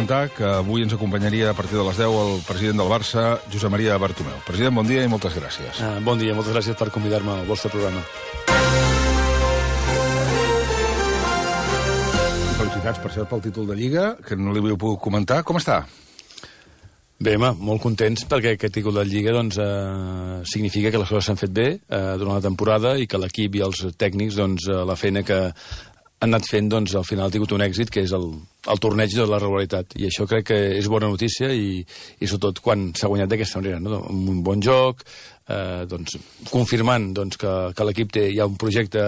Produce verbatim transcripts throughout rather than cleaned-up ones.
comentar que avui ens acompanyaria a partir de les deu el president del Barça, Josep Maria Bartomeu. President, bon dia i moltes gràcies. Uh, bon dia, moltes gràcies per convidar-me al vostre programa. Felicitats, per cert, pel títol de Lliga, que no li havia pogut comentar. Com està? Bé, home, molt contents perquè aquest títol de Lliga doncs, eh, significa que les coses s'han fet bé eh, durant la temporada i que l'equip i els tècnics, doncs, eh, la feina que han anat fent, doncs, al final ha tingut un èxit, que és el, el torneig de la regularitat. I això crec que és bona notícia i, i sobretot quan s'ha guanyat d'aquesta manera, no? Amb un bon joc, eh, doncs, confirmant doncs, que, que l'equip té ja un projecte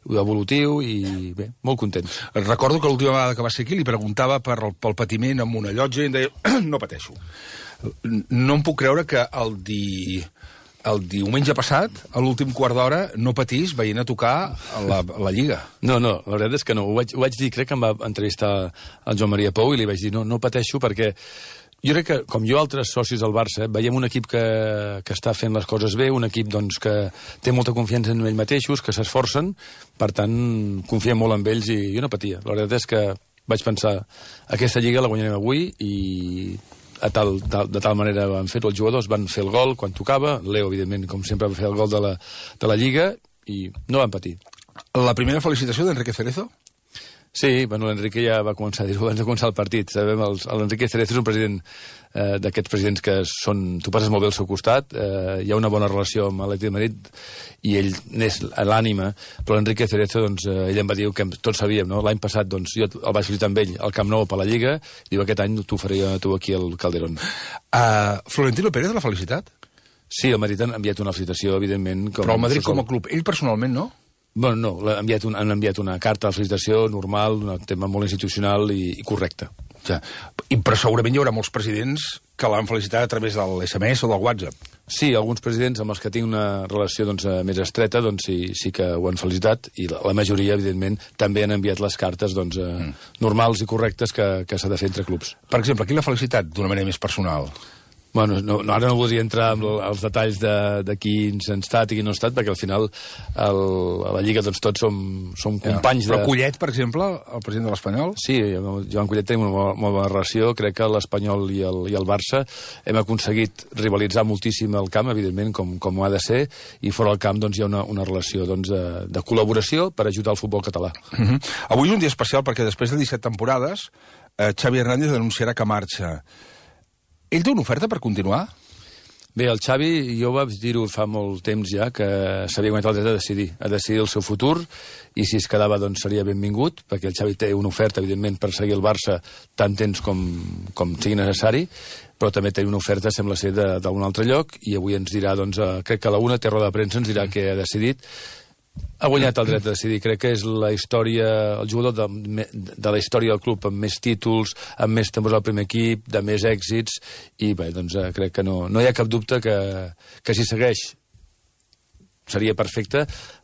evolutiu i, bé, molt content. Recordo que l'última vegada que va ser aquí li preguntava per, pel patiment amb una llotja i em deia, no pateixo. No em puc creure que el di... el diumenge passat, a l'últim quart d'hora, no patís veient a tocar la, la Lliga. No, no, la veritat és que no. Ho vaig, ho vaig dir, crec que em va entrevistar el Joan Maria Pou i li vaig dir, no, no pateixo perquè jo crec que, com jo altres socis del Barça, veiem un equip que, que està fent les coses bé, un equip doncs, que té molta confiança en ells mateixos, que s'esforcen, per tant, confiem molt en ells i jo no patia. La veritat és que vaig pensar, aquesta Lliga la guanyarem avui i... A tal, tal, de tal manera van fer els jugadors, van fer el gol quan tocava, Leo, evidentment, com sempre, va fer el gol de la, de la Lliga, i no van patir. La primera felicitació d'Enrique Cerezo? Sí, bueno, l'Enrique ja va començar a dir-ho abans de començar el partit. Sabem, l'Enrique Cerezo és un president eh, d'aquests presidents que són... Tu passes molt bé al seu costat, eh, hi ha una bona relació amb l'Atlètic de Madrid i ell n'és l'ànima, però l'Enrique Cerezo, doncs, eh, ell em va dir que tots sabíem, no? L'any passat, doncs, jo el vaig felicitar amb ell al Camp Nou per la Lliga, i diu, aquest any t'ho faré tu aquí al Calderón. Uh, Florentino Pérez l'ha felicitat? Sí, el Madrid han enviat una felicitació, evidentment. Com però el Madrid com a club, ell personalment no? Bueno, no, han enviat, un, han enviat una carta de felicitació normal, un tema molt institucional i, i correcte. Ja. I, però segurament hi haurà molts presidents que l'han felicitat a través del essa eme esse o del WhatsApp. Sí, alguns presidents amb els que tinc una relació doncs, més estreta doncs, sí, sí que ho han felicitat i la, la majoria, evidentment, també han enviat les cartes doncs, eh, mm. normals i correctes que, que s'ha de fer entre clubs. Per exemple, qui l'ha felicitat d'una manera més personal? Bueno, no, no, ara no voldria entrar en els detalls de, de qui ens ha estat i qui no ha estat, perquè al final el, a la Lliga doncs, tots som, som companys ja. Però de... Collet, per exemple, el president de l'Espanyol? Sí, amb Joan Collet tenim una molt, molt bona relació. Crec que l'Espanyol i, el, i el Barça hem aconseguit rivalitzar moltíssim el camp, evidentment, com, com ho ha de ser, i fora del camp doncs, hi ha una, una relació doncs, de, de col·laboració per ajudar el futbol català. Uh-huh. Avui és un dia especial perquè després de disset temporades eh, Xavi Hernández anunciarà que marxa. Ell té una oferta per continuar? Bé, el Xavi, jo vaig dir-ho fa molt temps ja, que s'havia guanyat el dret a decidir, a decidir el seu futur, i si es quedava, doncs, seria benvingut, perquè el Xavi té una oferta, evidentment, per seguir el Barça tant temps com, com sigui necessari, però també té una oferta, sembla ser, d'un altre lloc, i avui ens dirà, doncs, eh, crec que a la una té roda de premsa, ens dirà què ha decidit. Ha guanyat el dret a decidir. Crec que és la història, el jugador de, de la història del club amb més títols, amb més temps al primer equip, de més èxits, i bé, doncs crec que no, no hi ha cap dubte que, que si segueix seria perfecte,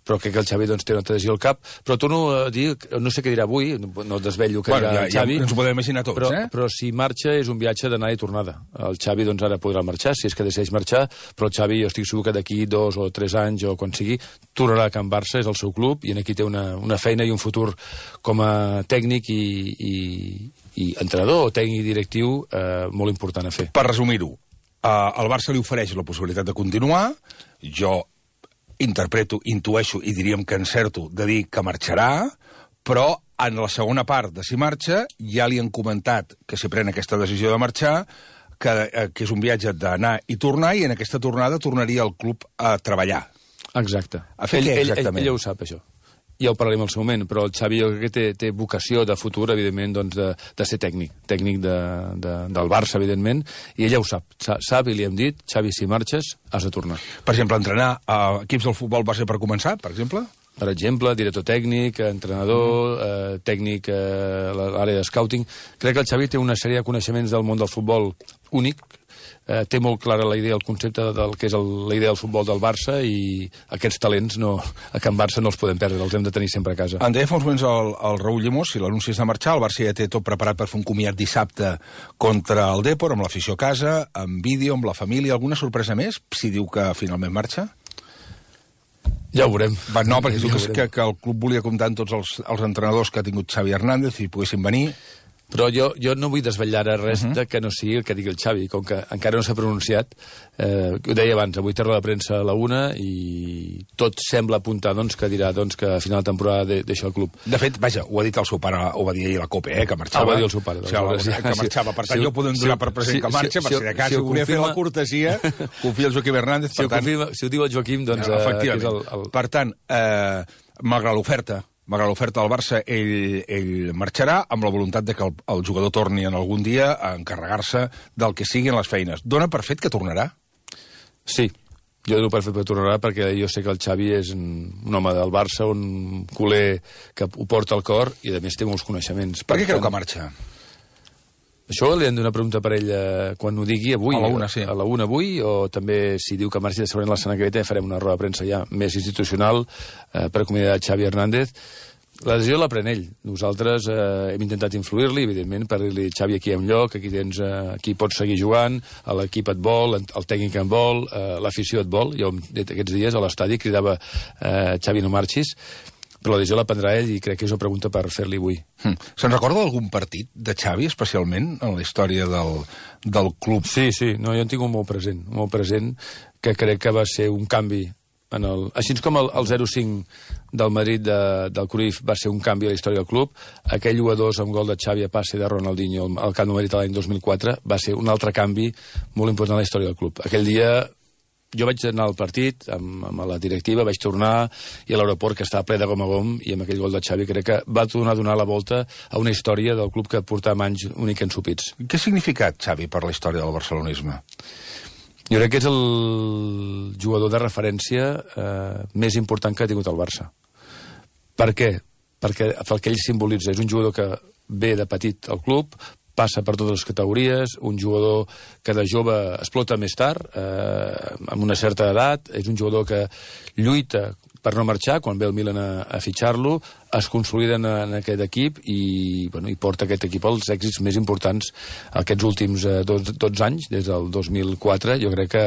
però crec que el Xavi doncs, té una adhesió al cap. Però torno a dir, no sé què dirà avui, no desvello què bueno, dirà ja, el Xavi. Ja ens ho podem imaginar tots, però, eh? Però si marxa és un viatge d'anada i tornada. El Xavi doncs, ara podrà marxar, si és que decideix marxar, però el Xavi jo estic segur que d'aquí dos o tres anys o quan sigui, tornarà a Can Barça, és el seu club, i aquí té una, una feina i un futur com a tècnic i, i, i entrenador o tècnic directiu eh, molt important a fer. Per resumir-ho, eh, el Barça li ofereix la possibilitat de continuar, jo interpreto, intueixo i diríem que encerto de dir que marxarà, però en la segona part de si marxa ja li han comentat que si pren aquesta decisió de marxar, que, que és un viatge d'anar i tornar, i en aquesta tornada tornaria al club a treballar. Exacte. A fer ell, què, ell, exactament? Ell, ell ho sap, això. Ja ho parlarem al seu moment, però el Xavi jo crec que té, té vocació de futur, evidentment, doncs, de, de ser tècnic, tècnic de, de, del Barça, evidentment, i ell ja ho sap. Sap i li hem dit, Xavi, si marxes, has de tornar. Per exemple, entrenar a equips del futbol base per començar, per exemple? Per exemple, director tècnic, entrenador, eh, tècnic a eh, l'àrea de scouting. Crec que el Xavi té una sèrie de coneixements del món del futbol únic, eh, té molt clara la idea, el concepte del que és el, la idea del futbol del Barça, i aquests talents no, a Can Barça no els podem perdre, els hem de tenir sempre a casa. En deia fa uns moments el, el Raúl Llimós, si l'anunci és de marxar, el Barça ja té tot preparat per fer un comiat dissabte contra el Depor, amb l'afició a casa, amb vídeo, amb la família. Alguna sorpresa més, si diu que finalment marxa? Ja ho veurem. Va, no, perquè ja diu que, que, que el club volia comptar amb tots els, els entrenadors que ha tingut Xavi Hernández i poguessin venir. Però jo, jo no vull desvetllar ara res uh -huh. de que no sigui el que digui el Xavi, com que encara no s'ha pronunciat. Eh, ho deia abans, avui té roda de premsa a la una i tot sembla apuntar doncs, que dirà doncs, que a final de temporada de, deixa el club. De fet, vaja, ho ha dit el seu pare, ho va dir ahir a la COPE, eh, que marxava. Ah, ho va dir el seu pare. O sigui, que marxava. Per tant, si, jo podem donar si, per present si, que marxa, si, per si de cas, si, si volia confirma... fer la cortesia, confia el Joaquim Hernández. Si, per tant, confirma, si ho diu el Joaquim, doncs... Ja, efectivament. Eh, és el, el... Per tant, eh, malgrat l'oferta, malgrat l'oferta del Barça, ell, ell marxarà amb la voluntat de que el, el jugador torni en algun dia a encarregar-se del que siguin les feines. Dóna per fet que tornarà? Sí, jo dono per fet que tornarà perquè jo sé que el Xavi és un, un home del Barça, un culer que ho porta al cor i a més té molts coneixements. Per, per què creu que marxa? Això li hem d'una pregunta per ell eh, quan ho digui avui. A la una, sí. A la una avui, o també si diu que marxi de segurament la setmana que ve farem una roda de premsa ja més institucional eh, per acomiadar Xavi Hernández. La decisió la pren ell. Nosaltres eh, hem intentat influir-li, evidentment, per dir-li, Xavi, aquí hi ha un lloc, aquí tens, eh, aquí pots seguir jugant, l'equip et vol, el tècnic et vol, eh, l'afició et vol. Jo aquests dies a l'estadi cridava eh, Xavi, no marxis, però la decisió la prendrà ell i crec que és una pregunta per fer-li avui. Hm. Se'n recorda d'algun partit de Xavi, especialment, en la història del, del club? Sí, sí, no, jo en tinc un molt present, molt present, que crec que va ser un canvi en el... Així com el, el zero cinc del Madrid de, del Cruyff va ser un canvi a la història del club, aquell u a dos amb gol de Xavi a passe de Ronaldinho al Camp Nou Madrid l'any dos mil quatre va ser un altre canvi molt important a la història del club. Aquell dia jo vaig anar al partit amb, amb la directiva, vaig tornar i a l'aeroport que estava ple de gom a gom i amb aquell gol de Xavi crec que va tornar a donar la volta a una història del club que portava anys únic ensupits. Què ha significat Xavi per la història del barcelonisme? Jo crec que és el jugador de referència eh, més important que ha tingut el Barça. Per què? Perquè el que ell simbolitza és un jugador que ve de petit al club, passa per totes les categories, un jugador que de jove explota més tard, eh, amb una certa edat, és un jugador que lluita per no marxar, quan ve el Milan a, a fitxar-lo, es consolida en, en aquest equip i, bueno, i porta aquest equip als èxits més importants aquests últims eh, dotze anys, des del dos mil quatre. Jo crec que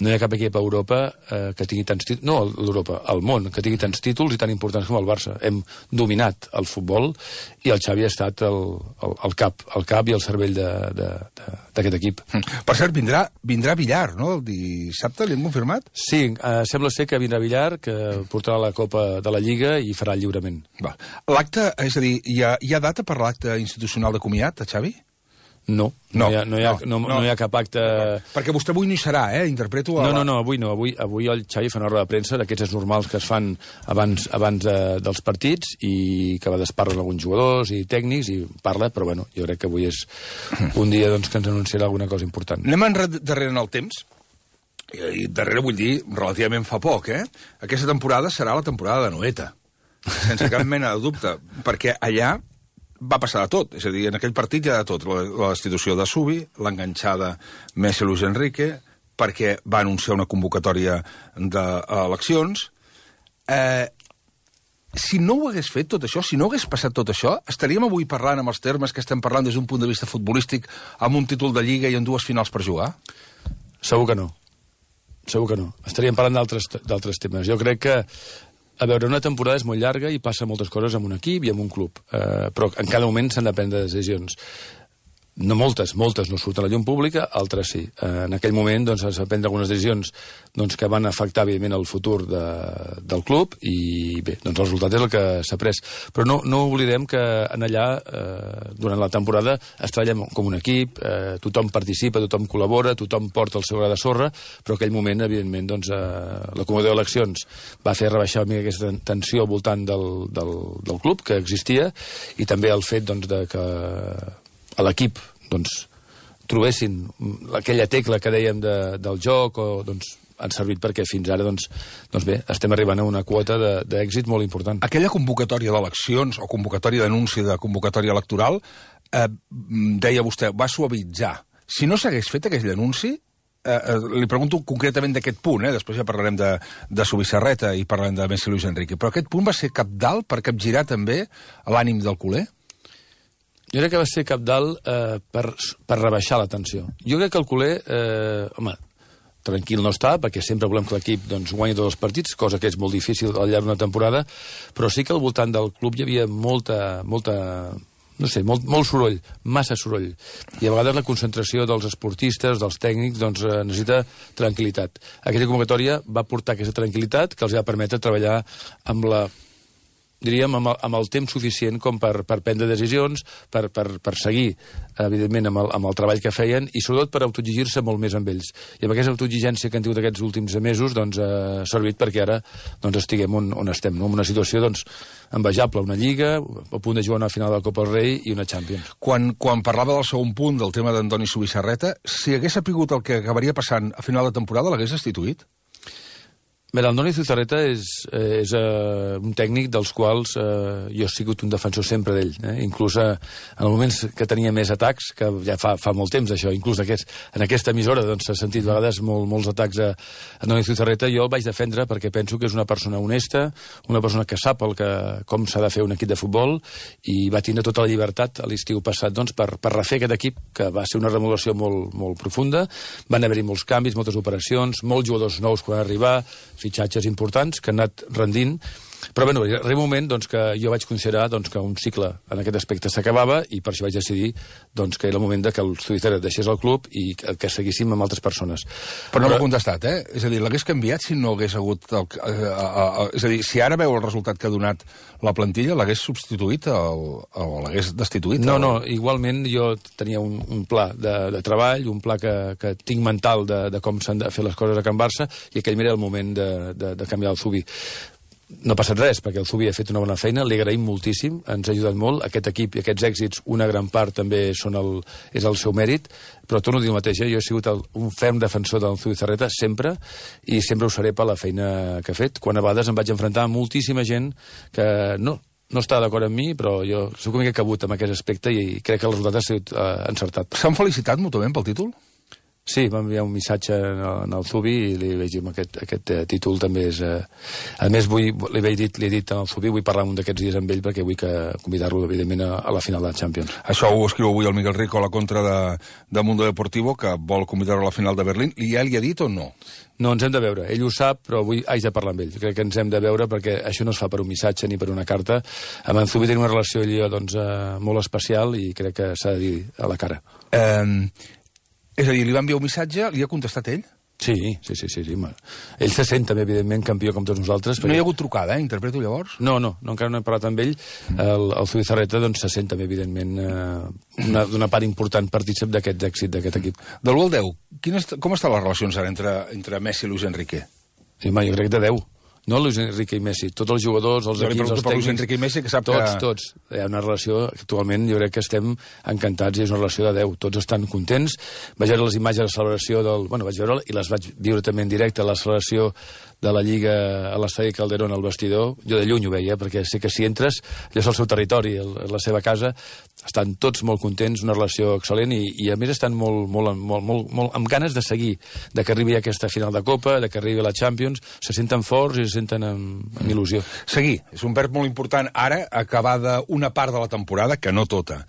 no hi ha cap equip a Europa eh, que tingui tants títols, no l'Europa, al món, que tingui tants títols i tan importants com el Barça. Hem dominat el futbol i el Xavi ha estat el, el, el cap, el cap i el cervell d'aquest equip. Per cert, vindrà, vindrà Villar, no? El dissabte, li hem confirmat? Sí, eh, sembla ser que vindrà Villar, que portarà la Copa de la Lliga i farà el lliurament. L'acte, és a dir, hi ha, hi ha data per l'acte institucional de comiat, a Xavi? No, no, no, hi ha, no, hi ha, no, no, no hi ha cap acte... Perquè vostè avui no hi serà, eh? Interpreto... A... No, no, no, avui no. Avui, avui el Xavi fa una roda de premsa d'aquests normals que es fan abans, abans de, dels partits i que a vegades parlen alguns jugadors i tècnics i parla, però bueno, jo crec que avui és un dia doncs, que ens anunciarà alguna cosa important. Anem darrere en el temps. I darrere vull dir relativament fa poc, eh? Aquesta temporada serà la temporada de Noeta, sense cap mena de dubte, perquè allà va passar de tot, és a dir, en aquell partit hi ha de tot, la, la destitució de Subi, l'enganxada Messi-Luis Enrique, perquè va anunciar una convocatòria d'eleccions. Eh, si no ho hagués fet tot això, si no hagués passat tot això, estaríem avui parlant amb els termes que estem parlant des d'un punt de vista futbolístic, amb un títol de Lliga i amb dues finals per jugar? Segur que no. Segur que no. Estaríem parlant d'altres temes. Jo crec que, a veure, una temporada és molt llarga i passa moltes coses amb un equip i amb un club, eh, però en cada moment s'han de prendre decisions. No moltes, moltes no surten a la llum pública, altres sí. Eh, en aquell moment doncs, es van prendre algunes decisions doncs, que van afectar, evidentment, el futur de, del club i, bé, doncs el resultat és el que s'ha pres. Però no, no oblidem que en allà, eh, durant la temporada, es treballa com un equip, eh, tothom participa, tothom col·labora, tothom porta el seu gra de sorra, però aquell moment, evidentment, doncs, eh, la comissió d'eleccions va fer rebaixar una mica aquesta tensió al voltant del, del, del club que existia i també el fet doncs, de que a l'equip doncs, trobessin aquella tecla que dèiem de, del joc, o doncs, han servit perquè fins ara doncs, doncs bé, estem arribant a una quota d'èxit molt important. Aquella convocatòria d'eleccions o convocatòria d'anunci de convocatòria electoral, eh, deia vostè, va suavitzar. Si no s'hagués fet aquell anunci, eh, eh, li pregunto concretament d'aquest punt, eh, després ja parlarem de, de Subissarreta i parlarem de Messi-Luis Enrique, però aquest punt va ser cabdal per capgirar també l'ànim del culer? Jo crec que va ser cabdal eh, per, per rebaixar la tensió. Jo crec que el culer, eh, home, tranquil no està, perquè sempre volem que l'equip doncs, guanyi tots els partits, cosa que és molt difícil al llarg d'una temporada, però sí que al voltant del club hi havia molta, molta, no sé, molt, molt soroll, massa soroll. I a vegades la concentració dels esportistes, dels tècnics, doncs eh, necessita tranquil·litat. Aquella convocatòria va portar aquesta tranquil·litat que els va permetre treballar amb la diríem, amb el, amb el temps suficient com per, per prendre decisions, per, per, per seguir, evidentment, amb el, amb el treball que feien i, sobretot, per autoexigir-se molt més amb ells. I amb aquesta autoexigència que han tingut aquests últims mesos doncs, eh, ha servit perquè ara doncs, estiguem on, on estem, no? En una situació doncs, envejable, una Lliga, a punt de jugar una final de la Copa del Rei i una Champions. Quan, quan parlava del segon punt, del tema d'Andoni Zubizarreta, si hagués sapigut el que acabaria passant a final de temporada, l'hagués destituït? Bé, l'Andoni Zubizarreta és, eh, és eh, un tècnic dels quals eh, jo he sigut un defensor sempre d'ell. Eh? Inclús eh, en els moments que tenia més atacs, que ja fa, fa molt temps això, inclús aquest, en aquesta emissora doncs, s'ha sentit a vegades molt, molts atacs a Andoni Zubizarreta, jo el vaig defendre perquè penso que és una persona honesta, una persona que sap el que, com s'ha de fer un equip de futbol i va tindre tota la llibertat a l'estiu passat doncs, per, per refer aquest equip, que va ser una remodelació molt, molt profunda. Van haver-hi molts canvis, moltes operacions, molts jugadors nous quan van arribar, fitxatges importants que han anat rendint, però bueno, arriba un moment doncs, que jo vaig considerar doncs, que un cicle en aquest aspecte s'acabava i per això vaig decidir doncs, que era el moment de que el Zubizarreta deixés el club i que, que seguíssim amb altres persones. Però no m'ha contestat, eh? És a dir, l'hagués canviat si no hagués hagut... El, a, a, a, és a dir, si ara veu el resultat que ha donat la plantilla, l'hagués substituït el, o l'hagués destituït? No, el... no, igualment jo tenia un, un pla de, de treball, un pla que, que tinc mental de, de com s'han de fer les coses a Can Barça i aquell era el moment de, de, de canviar el Zubi. No ha passat res, perquè el Zubi ha fet una bona feina, li agraïm moltíssim, ens ha ajudat molt. Aquest equip i aquests èxits, una gran part també són el, és el seu mèrit, però torno a dir el mateix, eh? Jo he sigut el, un ferm defensor del Zubizarreta sempre, i sempre ho seré per la feina que ha fet. Quan a vegades em vaig enfrontar amb moltíssima gent que no, no està d'acord amb mi, però jo soc una mica cabut amb aquest aspecte i crec que el resultat ha sigut eh, encertat. S'han felicitat mútuament pel títol? Sí, vam enviar un missatge en el, en el Zubi i li vaig dir aquest, aquest uh, títol també és... Uh... A més, vull, li, he dit, li he dit al Zubi, vull parlar un d'aquests dies amb ell perquè vull que convidar-lo, evidentment, a, a la final de la Champions. Això ho escriu avui el Miguel Rico a la contra de, de Mundo Deportivo, que vol convidar-lo a la final de Berlín. I ja li ha dit o no? No, ens hem de veure. Ell ho sap, però avui haig de parlar amb ell. Crec que ens hem de veure perquè això no es fa per un missatge ni per una carta. Amb en Zubi tenim una relació ell, doncs, uh, molt especial i crec que s'ha de dir a la cara. Eh... És a dir, li va enviar un missatge, li ha contestat ell? Sí, sí, sí, sí, sí. Ell se sent també, evidentment, campió com tots nosaltres. Perquè... No hi ha hagut trucada, eh? Interpreto llavors? No, no, no encara no he parlat amb ell. Mm. El, el Zubizarreta doncs, se sent també, evidentment, eh, una, una part important partícip d'aquest èxit d'aquest equip. Del gol deu, quines, com estan les relacions ara entre, entre Messi i Luis Enrique? Sí, ma, jo crec que de deu. No Luis Enrique i Messi, tots els jugadors, els jo equips, els tècnics... Luis Enrique i Messi, que sap tots, que... Tots, tots. Hi ha una relació, actualment, jo crec que estem encantats i és una relació de deu. Tots estan contents. Vaig veure les imatges de la celebració del... Bueno, vaig veure i les vaig viure també en directe, la celebració de la Lliga a l'estadi Calderón al vestidor. Jo de lluny ho veia, perquè sé que si entres, allò és el seu territori, el, la seva casa, estan tots molt contents, una relació excel·lent i, i a més estan molt, molt, molt, molt, molt amb ganes de seguir, de que arribi aquesta final de Copa, de que arribi la Champions, se senten forts i se senten amb, amb il·lusió. Seguir, és un verb molt important ara, acabada una part de la temporada, que no tota.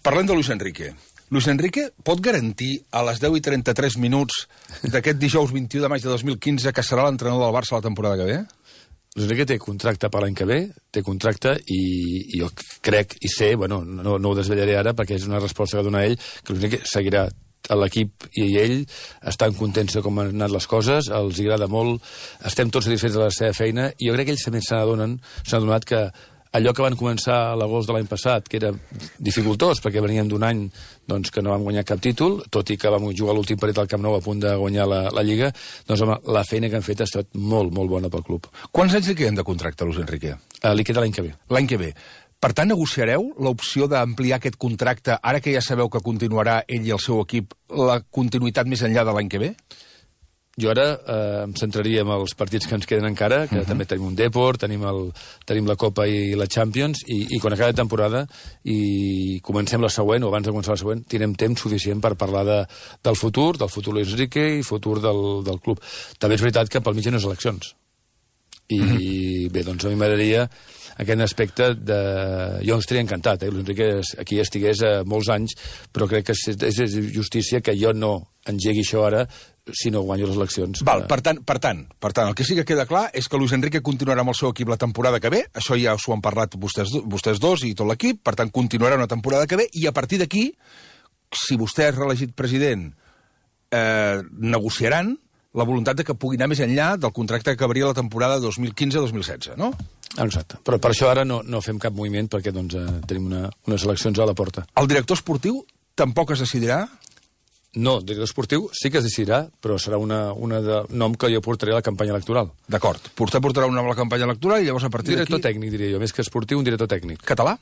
Parlem de Luis Enrique. Luis Enrique pot garantir a les deu i trenta-tres minuts d'aquest dijous vint-i-u de maig de dos mil quinze que serà l'entrenador del Barça la temporada que ve? Luis Enrique té contracte per l'any que ve, té contracte i, i jo crec i sé, bueno, no, no ho desvetllaré ara perquè és una resposta que dona ell, que Luis Enrique seguirà a l'equip i ell estan contents de com han anat les coses, els agrada molt, estem tots satisfets de la seva feina i jo crec que ells també se n'adonen, s'han adonat que allò que van començar a l'agost de l'any passat, que era dificultós, perquè veníem d'un any doncs, que no vam guanyar cap títol, tot i que vam jugar l'últim partit al Camp Nou a punt de guanyar la, la Lliga, doncs home, la feina que han fet ha estat molt, molt bona pel club. Quants anys li queden de contracte, Luis Enrique? Uh, li queda l'any que ve. L'any que ve. Per tant, negociareu l'opció d'ampliar aquest contracte, ara que ja sabeu que continuarà ell i el seu equip, la continuïtat més enllà de l'any que ve? Jo ara eh, em centraria en els partits que ens queden encara, que uh-huh. també tenim un Deport, tenim, el, tenim la Copa i la Champions, i, i quan acabi la temporada i comencem la següent, o abans de començar la següent, tindrem temps suficient per parlar de, del futur, del futur Luis Enrique i futur del, del club. També és veritat que pel mig hi ha unes eleccions. I uh-huh. bé, doncs a mi m'agradaria aquest aspecte de... Jo estaria encantat, eh? Luis Enrique aquí estigués a molts anys, però crec que és, és justícia que jo no engegui això ara, si no guanyo les eleccions. Val, per tant, per tant, per tant, el que sí que queda clar és que Luis Enrique continuarà amb el seu equip la temporada que ve, això ja s'ho han parlat vostès, vostès dos i tot l'equip, per tant, continuarà una temporada que ve, i a partir d'aquí, si vostè és reelegit president, eh, negociaran la voluntat de que pugui anar més enllà del contracte que acabaria la temporada dos mil quinze dos mil setze, no? Exacte. Però per això ara no, no fem cap moviment, perquè doncs, eh, tenim una, unes eleccions a la porta. El director esportiu tampoc es decidirà? No, el director esportiu sí que es decidirà, però serà una, una de nom que jo portaré a la campanya electoral. D'acord. Vostè portarà un nom a la campanya electoral i llavors a partir d'aquí... Director tècnic, diria jo. Més que esportiu, un director tècnic. Català?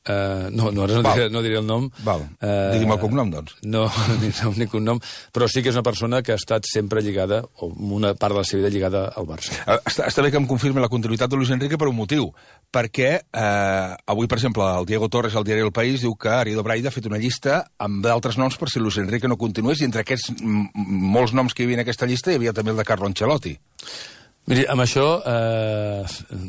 Uh, no, no, ara no diré, no diré el nom. Val. Uh, Digui'm el cognom, doncs. No, ni nom ni cognom, però sí que és una persona que ha estat sempre lligada, o una part de la seva vida lligada al Barça. Uh, està, està bé que em confirmi la continuïtat de Luis Enrique per un motiu, perquè uh, avui, per exemple, el Diego Torres, al diari El País, diu que Arido Braida ha fet una llista amb d'altres noms per si Luis Enrique no continués, i entre aquests molts noms que hi havia en aquesta llista hi havia també el de Carlo Ancelotti. Miri, amb això, eh,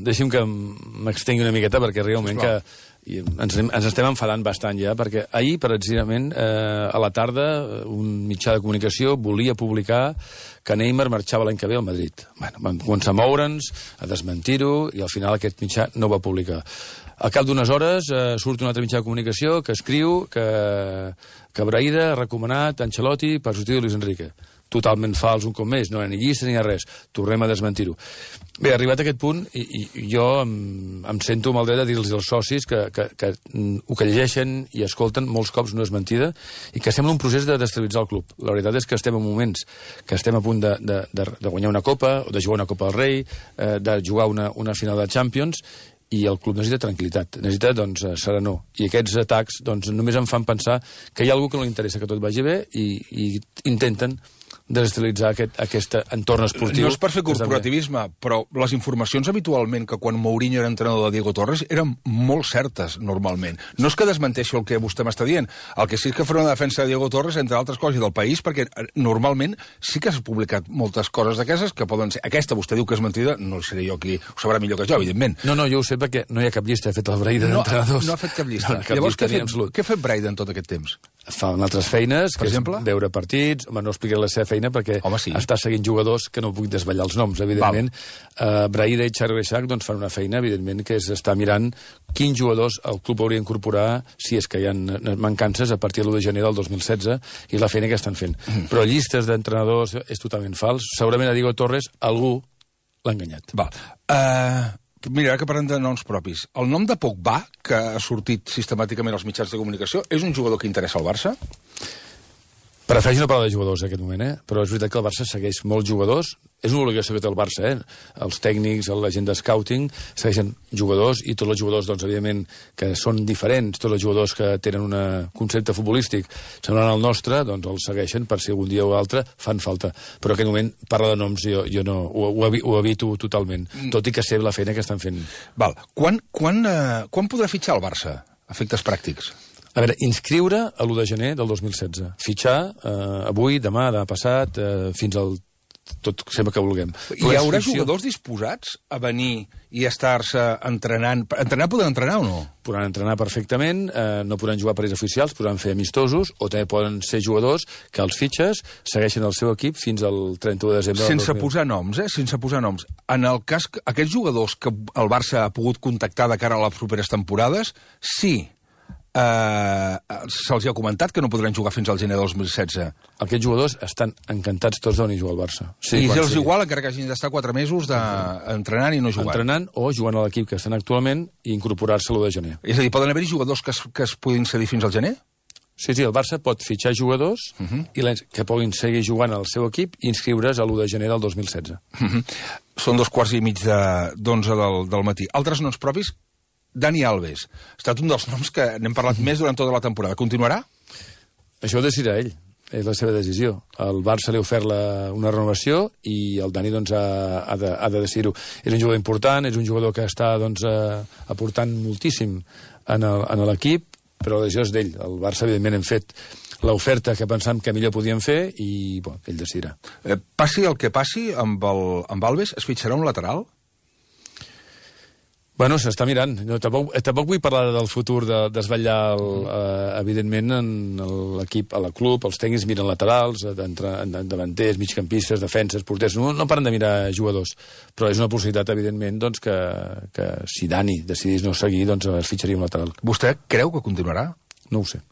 deixi'm que m'extengui una miqueta, perquè realment que i ens, ens estem enfadant bastant ja, perquè ahir, precisament, eh, a la tarda, un mitjà de comunicació volia publicar que Neymar marxava l'any que ve al Madrid. Bueno, vam començar a moure'ns, a desmentir-ho, i al final aquest mitjà no ho va publicar. Al cap d'unes hores eh, surt un altre mitjà de comunicació que escriu que, que Braida ha recomanat Ancelotti per substituir Luis Enrique. Totalment fals, un cop més, no hi ha ni llista ni hi ha res. Tornem a desmentir-ho. Bé, arribat a aquest punt, i, i jo em, em sento amb el dret de dir-los als socis que, que, que el que llegeixen i escolten molts cops no és mentida, i que sembla un procés de destabilitzar el club. La veritat és que estem en moments que estem a punt de, de, de, de guanyar una copa, o de jugar una Copa del Rei, eh, de jugar una, una final de Champions, i el club necessita tranquil·litat, necessita doncs, serenor. I aquests atacs doncs, només em fan pensar que hi ha algú que no li interessa que tot vagi bé, i, i intenten desestabilitzar aquest, aquest entorn esportiu. No és per fer corporativisme, però les informacions habitualment que quan Mourinho era entrenador de Diego Torres eren molt certes, normalment. No és que desmenteixi el que vostè m'està dient, el que sí és que farà una defensa de Diego Torres, entre altres coses, i del país, perquè normalment sí que s'ha publicat moltes coses d'aquestes que poden ser... Aquesta vostè diu que és mentida, no seré jo qui ho sabrà millor que jo, evidentment. No, no, jo ho sé perquè no hi ha cap llista, ha fet el Braida no, d'entrenadors. No ha fet cap llista. No, cap Llavors, llista què ha fet, què ha fet Braida en tot aquest temps? Fa altres feines, per que exemple? És veure partits, home, no explicaré la seva feina perquè home, sí. està seguint jugadors que no puc desvetllar els noms, evidentment. Uh, Braida i Xavi Reixac doncs, fan una feina, evidentment, que és estar mirant quins jugadors el club hauria d'incorporar, si és que hi ha mancances, a partir de l'u de gener del dos mil setze, i la feina que estan fent. Mm. Però llistes d'entrenadors és totalment fals. Segurament a Diego Torres algú l'ha enganyat. Val. Uh... Mira, ara que parlem de noms propis. El nom de Pogba, que ha sortit sistemàticament als mitjans de comunicació, és un jugador que interessa al Barça? Prefereixo no parlar de jugadors en aquest moment, eh? Però és veritat que el Barça segueix molts jugadors. És una obligació que té el Barça, eh? Els tècnics, la gent de scouting, segueixen jugadors, i tots els jugadors, doncs, evidentment, que són diferents, tots els jugadors que tenen un concepte futbolístic semblant al nostre, doncs els segueixen per si algun dia o altre fan falta. Però en aquest moment, parlar de noms, jo, jo no, ho, ho, ho evito totalment, tot i que sé la feina que estan fent. Val. Quan, quan, uh, quan podrà fitxar el Barça? Efectes pràctics. A veure, inscriure a l'u de gener del dos mil setze. Fitxar eh, avui, demà, demà passat, eh, fins al tot sempre que vulguem. Hi haurà jugadors disposats a venir i estar-se entrenant? Entrenar poden entrenar o no? Podran entrenar perfectament, eh, no podran jugar partits oficials, podran fer amistosos, o també poden ser jugadors que els fitxes segueixen el seu equip fins al trenta-u de desembre Sense del dos mil. posar noms, eh? Sense posar noms. En el cas que aquests jugadors que el Barça ha pogut contactar de cara a les properes temporades, sí, Uh, se'ls ha comentat que no podran jugar fins al gener del dos mil setze. Aquests jugadors estan encantats tots de venir a jugar al Barça. Sí, I és igual, encara que hagin d'estar quatre mesos de... entrenant i no jugant. Entrenant o jugant a l'equip que estan actualment i incorporar-se l'u de gener. És a dir, poden haver-hi jugadors que es, que es puguin cedir fins al gener? Sí, sí, el Barça pot fitxar jugadors uh -huh. i que puguin seguir jugant al seu equip i inscriure's a l'u de gener del dos mil setze. Uh -huh. Són dos quarts i mig d'onze del, del matí. Altres noms propis? Dani Alves. Ha estat un dels noms que n'hem parlat més durant tota la temporada. Continuarà? Això ho decidirà ell. És la seva decisió. El Barça li ha ofert la, una renovació i el Dani doncs, ha, ha, de, ha de decidir-ho. És un jugador important, és un jugador que està doncs, eh, aportant moltíssim en l'equip, però la decisió és d'ell. El Barça, evidentment, hem fet l'oferta que pensàvem que millor podíem fer i bon, ell decidirà. Eh, passi el que passi amb, el, amb Alves, es fitxarà un lateral? Bueno, s'està mirant. No, tampoc, tampoc vull parlar del futur, de desvetllar, el, eh, evidentment, en l'equip, a la club, els tècnics miren laterals, davanters, migcampistes, defenses, porters, no, no paren de mirar jugadors, però és una possibilitat, evidentment, doncs, que, que si Dani decidís no seguir, doncs es fitxaria un lateral. Vostè creu que continuarà? No ho sé.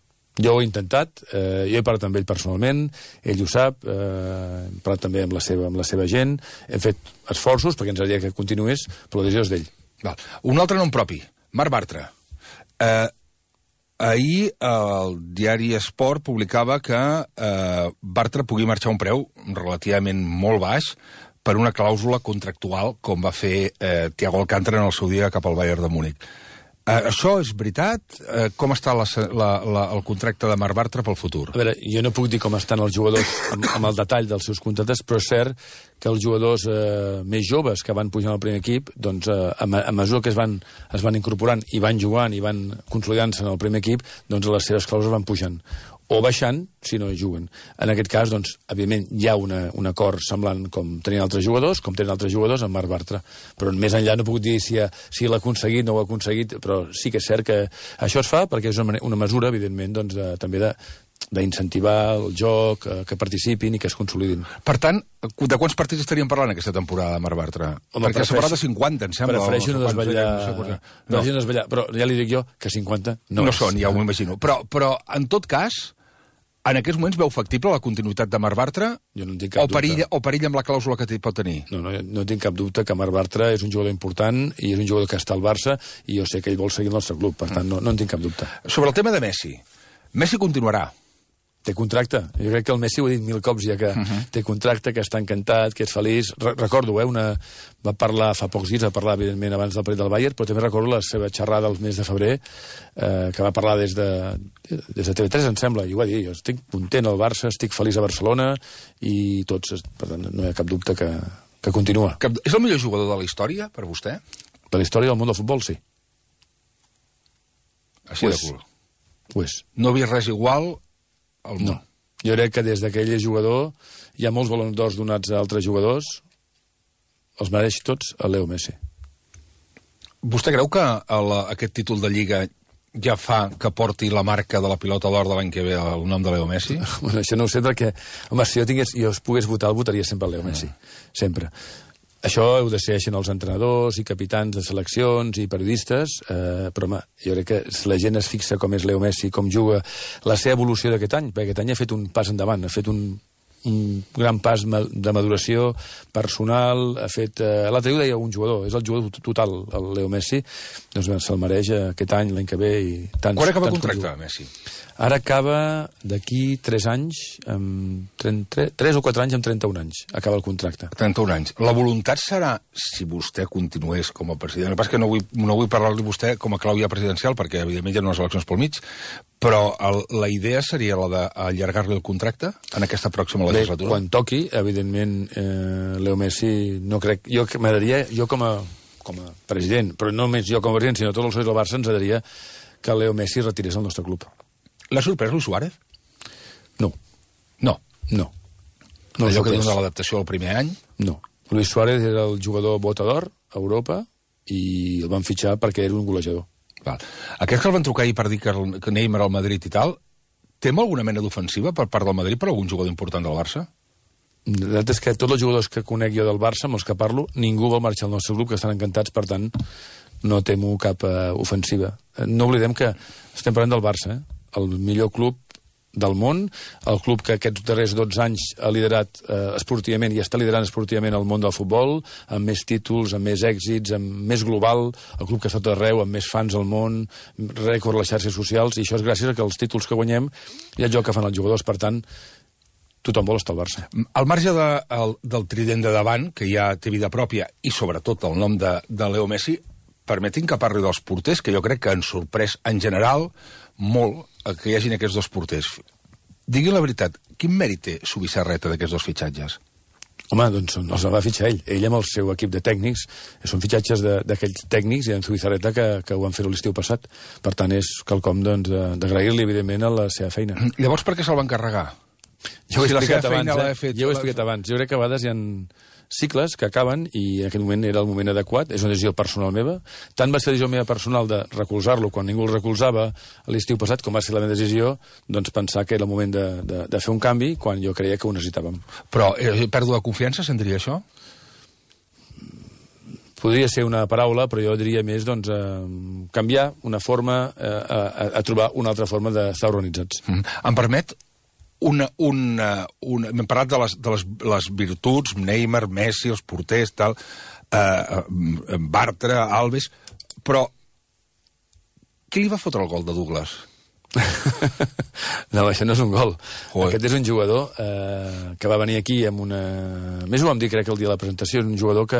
Jo ho he intentat, eh, jo he parlat amb ell personalment, ell ho sap, eh, he parlat també amb la seva, amb la seva gent, hem fet esforços perquè ens agradaria que continués, però la decisió és d'ell. Val. Un altre nom propi, Marc Bartra. Eh, ahir el diari Esport publicava que eh, Bartra pugui marxar a un preu relativament molt baix per una clàusula contractual com va fer eh, Thiago Alcántara en el seu dia cap al Bayern de Múnich. Eh, això és veritat? Eh, com està la, la, la, el contracte de Marc Bartra pel futur? A veure, jo no puc dir com estan els jugadors amb, amb el detall dels seus contractes, però és cert que els jugadors eh, més joves que van pujant al primer equip, doncs eh, a, a mesura que es van, es van incorporant i van jugant i van consolidant-se en el primer equip, doncs les seves clàusules van pujant o baixant si no juguen. En aquest cas, doncs, evidentment, hi ha una, un acord semblant com tenien altres jugadors, com tenen altres jugadors amb Marc Bartra. Però més enllà no puc dir si, ha, si l'ha aconseguit o no ho ha aconseguit, però sí que és cert que això es fa perquè és una, una mesura, evidentment, doncs, de, també de d'incentivar el joc, eh, que participin i que es consolidin. Per tant, de quants partits estaríem parlant aquesta temporada, Marc Bartra? Home, perquè s'ha parlat de cinquanta, em sembla. Prefereixo no desvetllar, no. no desvetllar, però ja li dic jo que cinquanta no, no són, ja ho m'imagino. Però, però, en tot cas, en aquests moments veu factible la continuïtat de Marc Bartra? Jo no en tinc cap o perill, dubte. O perill amb la clàusula que pot tenir? No, no, no tinc cap dubte que Marc Bartra és un jugador important i és un jugador que està al Barça i jo sé que ell vol seguir el nostre club, per tant, no, no en tinc cap dubte. Sobre el tema de Messi. Messi continuarà. Té contracte. Jo crec que el Messi ho ha dit mil cops ja que uh -huh. té contracte, que està encantat, que és feliç. Re recordo, eh, una... va parlar fa pocs dies, va parlar, evidentment, abans del partit del Bayern, però també recordo la seva xerrada el mes de febrer, eh, que va parlar des de, des de T V tres, em sembla, i ho va dir, jo estic content al Barça, estic feliç a Barcelona, i tots, per tant, no hi ha cap dubte que, que continua. Cap... És el millor jugador de la història, per vostè? De la història del món del futbol, sí. Així de cul. Ho és. No havia res igual al món. No. Jo crec que des d'aquell jugador hi ha molts balons d'or donats a altres jugadors, els mereix tots a Leo Messi. Vostè creu que el, aquest títol de Lliga ja fa que porti la marca de la pilota d'or de l'any que ve el nom de Leo Messi? Bueno, això no ho sé perquè, home, si jo, tingués, jo pogués votar, el votaria sempre el Leo Messi. Ah. Sempre. Això ho decideixen els entrenadors i capitans de seleccions i periodistes, eh, però home, jo crec que si la gent es fixa com és Leo Messi, com juga, la seva evolució d'aquest any, perquè aquest any ha fet un pas endavant, ha fet un, un gran pas de maduració personal, ha fet... Eh, L'altre dia ho deia un jugador, és el jugador total, el Leo Messi, doncs se'l mereix aquest any, l'any que ve i tants... Quan acaba el contracte, Messi? Ara acaba d'aquí tres anys, amb trenta, tres o quatre anys amb trenta-un anys. Acaba el contracte. trenta-un anys. La voluntat serà, si vostè continués com a president, el que passa és que no vull, no vull parlar-li vostè com a clau ja presidencial, perquè evidentment hi ha unes eleccions pel mig, però el, la idea seria la d'allargar-li el contracte en aquesta pròxima legislatura? Bé, quan toqui, evidentment, eh, Leo Messi, no crec... Jo m'agradaria, jo com a, com a president, però no només jo com a president, sinó tots els socis del Barça, ens agradaria que Leo Messi retirés el nostre club. L'ha sorprès Luis Suárez? No. No? No. no Allò que dona l'adaptació al primer any? No. Luis Suárez era el jugador bota d'or a Europa i el van fitxar perquè era un golejador. Val. Aquests que el van trucar ahir per dir que, el, que Neymar al Madrid i tal, tem alguna mena d'ofensiva per part del Madrid per algun jugador important del Barça? La veritat és que tots els jugadors que conec jo del Barça, amb els que parlo, ningú vol marxar al nostre club, que estan encantats, per tant, no temo cap uh, ofensiva. No oblidem que estem parlant del Barça, eh? El millor club del món, el club que aquests darrers dotze anys ha liderat eh, esportivament i està liderant esportivament el món del futbol, amb més títols, amb més èxits, amb més global, el club que està tot arreu, amb més fans al món, rècord a les xarxes socials, i això és gràcies a que els títols que guanyem i el joc que fan els jugadors, per tant, tothom vol estar al Barça. Al marge de, el, del trident de davant, que ja té vida pròpia, i sobretot el nom de, de Leo Messi, permetin que parli dels porters, que jo crec que han sorprès en general molt que hi hagin aquests dos porters. Digui la veritat, quin mèrit té Zubizarreta d'aquests dos fitxatges? Home, doncs els va fitxar ell. Ell amb el seu equip de tècnics. Són fitxatges d'aquells tècnics i en Zubizarreta que, que ho han fet l'estiu passat. Per tant, és quelcom doncs, d'agrair-li, evidentment, a la seva feina. Llavors, per què se'l van carregar? Jo ho he si explicat abans, eh? Fet, jo ho he explicat abans. Jo crec que a vegades hi ha, cicles que acaben i en aquell moment era el moment adequat, és una decisió personal meva. Tant va ser la decisió meva personal de recolzar-lo quan ningú el recolzava l'estiu passat, com va ser la meva decisió, doncs pensar que era el moment de, de, de fer un canvi quan jo creia que ho necessitàvem. Però eh, pèrdua de confiança, sentiria això? Podria ser una paraula, però jo diria més doncs, eh, canviar una forma eh, a, a trobar una altra forma d'estar organitzats. Mm. Em permet una... una, una hem parlat de les, de les, les virtuts, Neymar, Messi, els porters, tal, eh, Bartra, Alves, però qui li va fotre el gol de Douglas? No, això no és un gol. Joder. Aquest és un jugador eh, que va venir aquí amb una... Més ho vam dir, crec, el dia de la presentació. És un jugador que,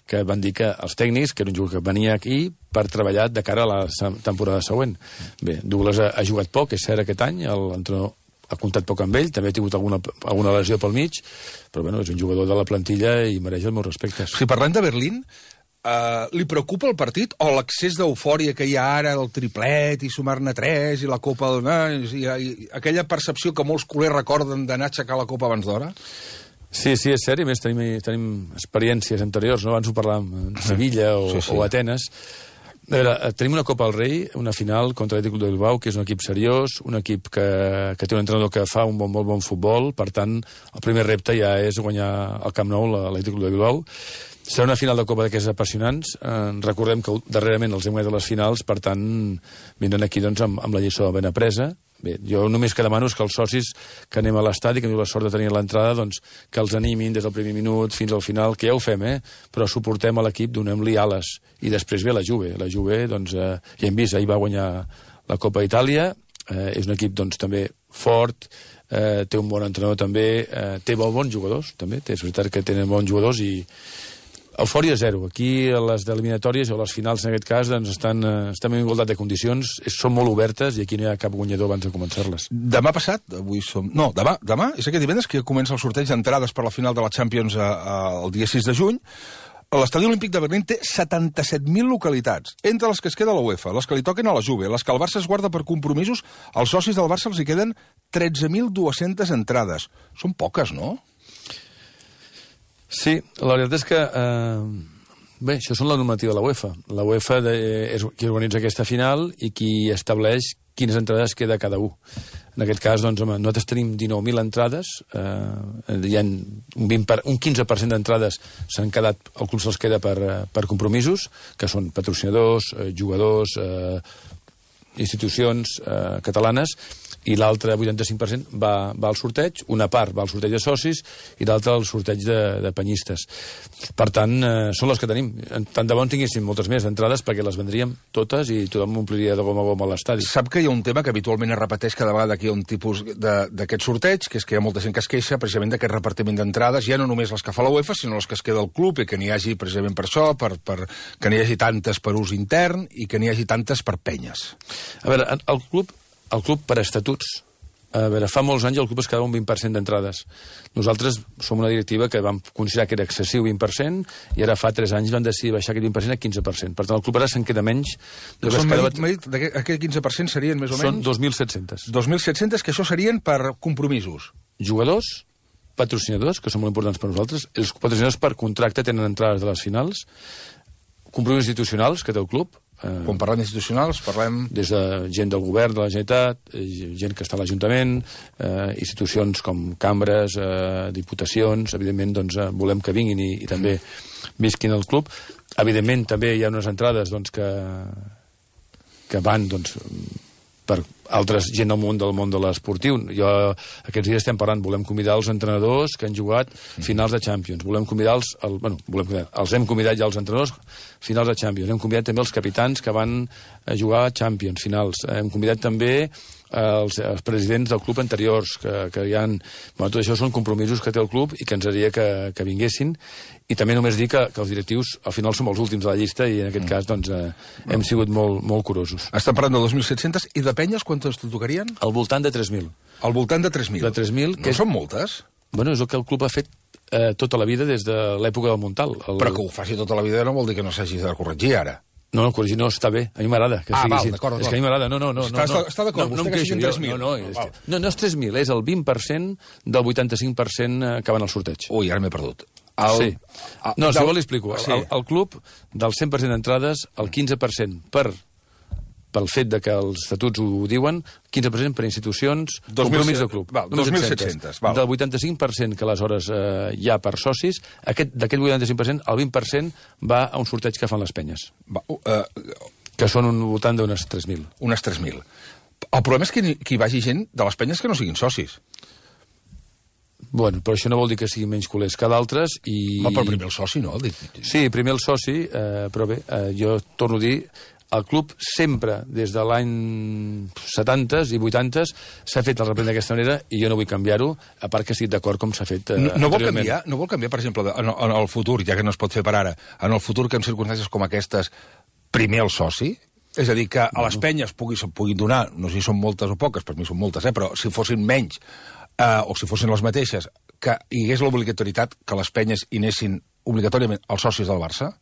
que van dir que els tècnics, que era un jugador que venia aquí per treballar de cara a la temporada següent. Bé, Douglas ha, ha jugat poc, és cert, aquest any. L'entrenador ha comptat poc amb ell, també ha tingut alguna, alguna lesió pel mig, però bueno, és un jugador de la plantilla i mereix els meus respectes. Si parlem de Berlín, Uh, li preocupa el partit o l'accés d'eufòria que hi ha ara del triplet i sumar-ne tres i la Copa del... I, i, aquella percepció que molts culers recorden d'anar a aixecar la Copa abans d'hora? Sí, sí, és cert, i més tenim, tenim experiències anteriors, no? Abans ho parlàvem de Sevilla o, sí, sí. o Atenes. A veure, tenim una Copa del Rei, una final contra l'Atlètic de Bilbao, que és un equip seriós, un equip que, que té un entrenador que fa un bon, molt bon futbol, per tant, el primer repte ja és guanyar el Camp Nou, l'Atlètic de Bilbao. Serà una final de Copa d'aquestes apassionants. Eh, recordem que darrerament els hem guanyat a les finals, per tant, vindran aquí doncs, amb, amb la lliçó ben apresa. Bé, jo només que demano és que els socis que anem a l'estadi, que tenim la sort de tenir l'entrada, doncs, que els animin des del primer minut fins al final, que ja ho fem, eh? Però suportem a l'equip, donem-li ales. I després ve la Juve. La Juve, doncs, eh, ja hem vist, ahir va guanyar la Copa d'Itàlia, eh, és un equip, doncs, també fort, eh, té un bon entrenador també, eh, té bons jugadors, també, és veritat que tenen bons jugadors i eufòria zero. Aquí a les eliminatòries o a les finals, en aquest cas, doncs estan, eh, estan en igualtat de condicions, és, són molt obertes i aquí no hi ha cap guanyador abans de començar-les. Demà passat, avui som... No, demà, demà és aquest divendres que comença el sorteig d'entrades per la final de la Champions a, a, el dia sis de juny. L'Estadi Olímpic de Berlín té setanta-set mil localitats, entre les que es queda la UEFA, les que li toquen a la Juve, les que el Barça es guarda per compromisos, als socis del Barça els hi queden tretze mil dues-centes entrades. Són poques, no? Sí, la veritat és que... Eh, bé, això són la normativa de la UEFA. La UEFA de, és qui organitza aquesta final i qui estableix quines entrades queda cada un. En aquest cas, doncs, home, nosaltres tenim dinou mil entrades, eh, hi ha un, vint per, un quinze per cent d'entrades s'han quedat, el club se'ls queda per, per compromisos, que són patrocinadors, eh, jugadors, eh, institucions eh, catalanes, i l'altre vuitanta-cinc per cent va, va al sorteig, una part va al sorteig de socis i l'altra al sorteig de, de penyistes. Per tant, eh, són les que tenim. Tant de bon tinguéssim moltes més entrades perquè les vendríem totes i tothom ompliria de gom a gom a l'estadi. Sap que hi ha un tema que habitualment es repeteix cada vegada que hi ha un tipus d'aquest sorteig, que és que hi ha molta gent que es queixa precisament d'aquest repartiment d'entrades, ja no només les que fa la UEFA, sinó les que es queda al club i que n'hi hagi precisament per això, per, per, que n'hi hagi tantes per ús intern i que n'hi hagi tantes per penyes. A veure, el club El club, per estatuts, a veure, fa molts anys el club es quedava un vint per cent d'entrades. Nosaltres som una directiva que vam considerar que era excessiu vint per cent i ara fa tres anys vam decidir baixar aquest vint per cent a quinze per cent. Per tant, el club ara se'n queda menys. Són, quedava... dit, aquest quinze per cent serien més o menys? Són dos mil set-cents. dos mil set-cents, que això serien per compromisos. Jugadors, patrocinadors, que són molt importants per nosaltres. Els patrocinadors per contracte tenen entrades de les finals. Compromisos institucionals que té el club. Quan parlem d'institucionals, parlem... Des de gent del govern de la Generalitat, gent que està a l'Ajuntament, eh, institucions com cambres, eh, diputacions, evidentment doncs, eh, volem que vinguin i, i també visquin al club. Evidentment també hi ha unes entrades doncs, que, que van doncs, per altres gent del món del món de l'esportiu. Jo, aquests dies estem parlant, volem convidar els entrenadors que han jugat finals de Champions, volem convidar els, el, bueno, volem convidar, els hem convidat ja els entrenadors finals de Champions, hem convidat també els capitans que van jugar a Champions finals, hem convidat també els, els presidents del club anteriors que, que hi ha... Bueno, tot això són compromisos que té el club i que ens agradaria que, que vinguessin. I també només dir que, que els directius al final som els últims de la llista i en aquest mm. cas doncs, eh, hem sigut molt, molt curosos. Estem parlant de dos mil set-cents i de penyes quantes t'ho tocarien? Al voltant de tres mil. Al voltant de tres mil? De tres mil. No és... són moltes? Bueno, és el que el club ha fet eh, tota la vida des de l'època del Montal. El... Però que ho faci tota la vida no vol dir que no s'hagi de corregir ara. No, no, corregir no, està bé. A mi m'agrada que ah, sigui val, així. d'acord, És que a mi m'agrada. No, no, no. Està, no, està d'acord, no, vostè no que siguin tres mil. No, no, és que, no, no és tres mil, és el vint per cent del vuitanta-cinc per cent que van al sorteig. Ui, ara m'he perdut. El, sí. No, si vol li explico. Sí. El, el club, del cent per cent d'entrades, el quinze per cent per pel fet de que els estatuts ho diuen, quinze per cent per institucions, compromís del club. dos mil set-cents. Del vuitanta-cinc per cent que aleshores eh, hi ha per socis, d'aquest vuitanta-cinc per cent, el vint per cent va a un sorteig que fan les penyes. Va, uh, que són un voltant d'unes tres mil. Unes tres mil. El problema és que, que hi vagi gent de les penyes que no siguin socis. Bueno, però això no vol dir que siguin menys culers que d'altres i... No, però primer el soci, no? Sí, primer el soci, eh, però bé, eh, jo torno a dir... El club sempre, des de l'any setanta i vuitanta, s'ha fet el reprendre d'aquesta manera i jo no vull canviar-ho, a part que estic d'acord com s'ha fet eh, no, no vol canviar, no vol canviar, per exemple, en, en el futur, ja que no es pot fer per ara, en el futur que en circumstàncies com aquestes, primer el soci? És a dir, que a les penyes pugui, puguin donar, no sé si són moltes o poques, per mi són moltes, eh, però si fossin menys, eh, o si fossin les mateixes, que hi hagués l'obligatorietat que les penyes hi anessin obligatòriament els socis del Barça?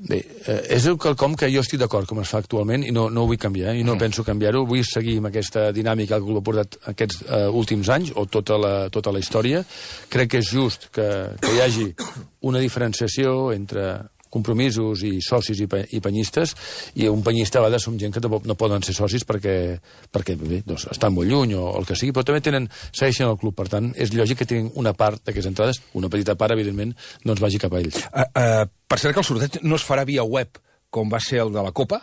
Bé, eh, és quelcom que jo estic d'acord com es fa actualment i no, no ho vull canviar, eh, i no mm. penso canviar-ho. Vull seguir amb aquesta dinàmica que ha portat aquests eh, últims anys, o tota la, tota la història. Crec que és just que, que hi hagi una diferenciació entre compromisos i socis i, pe i penyistes, i un penyista a vegades som gent que no poden ser socis perquè, perquè bé, doncs, estan molt lluny o el que sigui, però també tenen, segueixen el club, per tant, és lògic que tinguin una part d'aquestes entrades, una petita part, evidentment, doncs vagi cap a ells. Uh, uh, per cert que el sorteig no es farà via web, com va ser el de la Copa,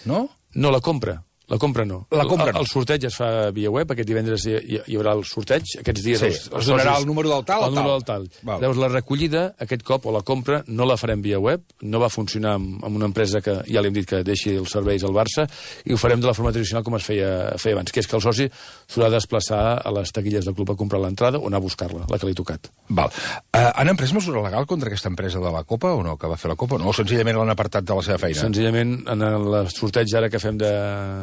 no? No, la compra. La compra no. La compra no. El, el sorteig es fa via web, aquest divendres hi, hi, hi haurà el sorteig, aquests dies... Sí, els, els es donarà el número del tal o tal. El número del tal. Val. Llavors, la recollida, aquest cop, o la compra, no la farem via web, no va funcionar amb, amb una empresa que ja li hem dit que deixi els serveis al Barça, i ho farem de la forma tradicional com es feia, feia abans, que és que el soci s'haurà de desplaçar a les taquilles del club a comprar l'entrada o anar a buscar-la, la que li ha tocat. Val. Uh, han emprès mesura legal contra aquesta empresa de la Copa o no, que va fer la Copa? No, o senzillament l'han apartat de la seva feina? Senzillament, en el sorteig ara que fem de,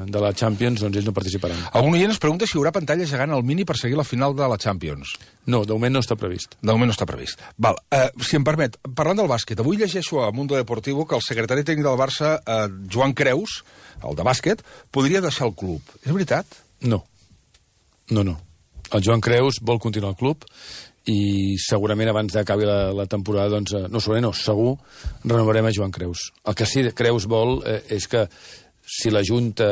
de la Champions, doncs ells no participaran. Algun oient es pregunta si hi haurà pantalla gegant al Mini per seguir la final de la Champions. No, de moment no està previst. De moment no està previst. Val, uh, si em permet, parlant del bàsquet, avui llegeixo a Mundo Deportivo que el secretari tècnic del Barça, uh, Joan Creus, el de bàsquet, podria deixar el club. És veritat? No. No, no. El Joan Creus vol continuar al club i segurament abans d'acabi la, la temporada, doncs, no, segurament no, segur, renovarem a Joan Creus. El que sí Creus vol eh, és que si la Junta...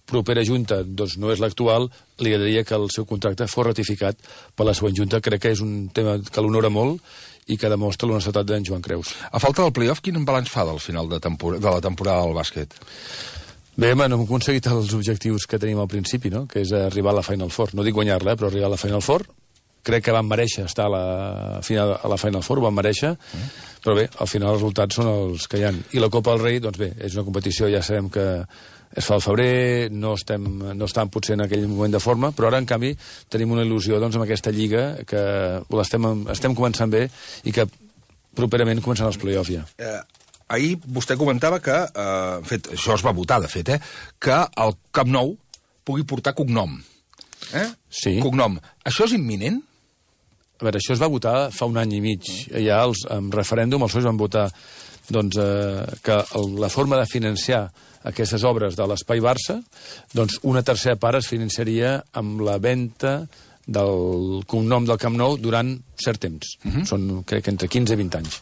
propera Junta doncs, no és l'actual, li agradaria que el seu contracte fos ratificat per la següent Junta. Crec que és un tema que l'honora molt i que demostra l'honestedat d'en Joan Creus. A falta del playoff, quin balanç fa del final de, de la temporada del bàsquet? Bé, home, no hem aconseguit els objectius que tenim al principi, no? Que és arribar a la Final Four. No dic guanyar-la, eh, però arribar a la Final Four. Crec que van mereixer estar a la, final, a la Final Four, van mereixer, mm. però bé, al final els resultats són els que hi ha. I la Copa del Rei, doncs bé, és una competició, ja sabem que es fa al febrer, no estem, no estem potser en aquell moment de forma, però ara, en canvi, tenim una il·lusió doncs, amb aquesta lliga que l'estem estem començant bé i que properament començaran els play-offs ja. Eh, ahir vostè comentava que, eh, en fet, això es va votar, de fet, eh, que el Camp Nou pugui portar cognom. Eh? Sí. Cognom. Això és imminent? A veure, això es va votar fa un any i mig. Ja els, en referèndum els socis van votar doncs, eh, que el, la forma de financiar aquestes obres de l'Espai Barça, doncs una tercera part es financiaria amb la venda del cognom del Camp Nou durant cert temps. Uh -huh. Són, crec que entre quinze i vint anys.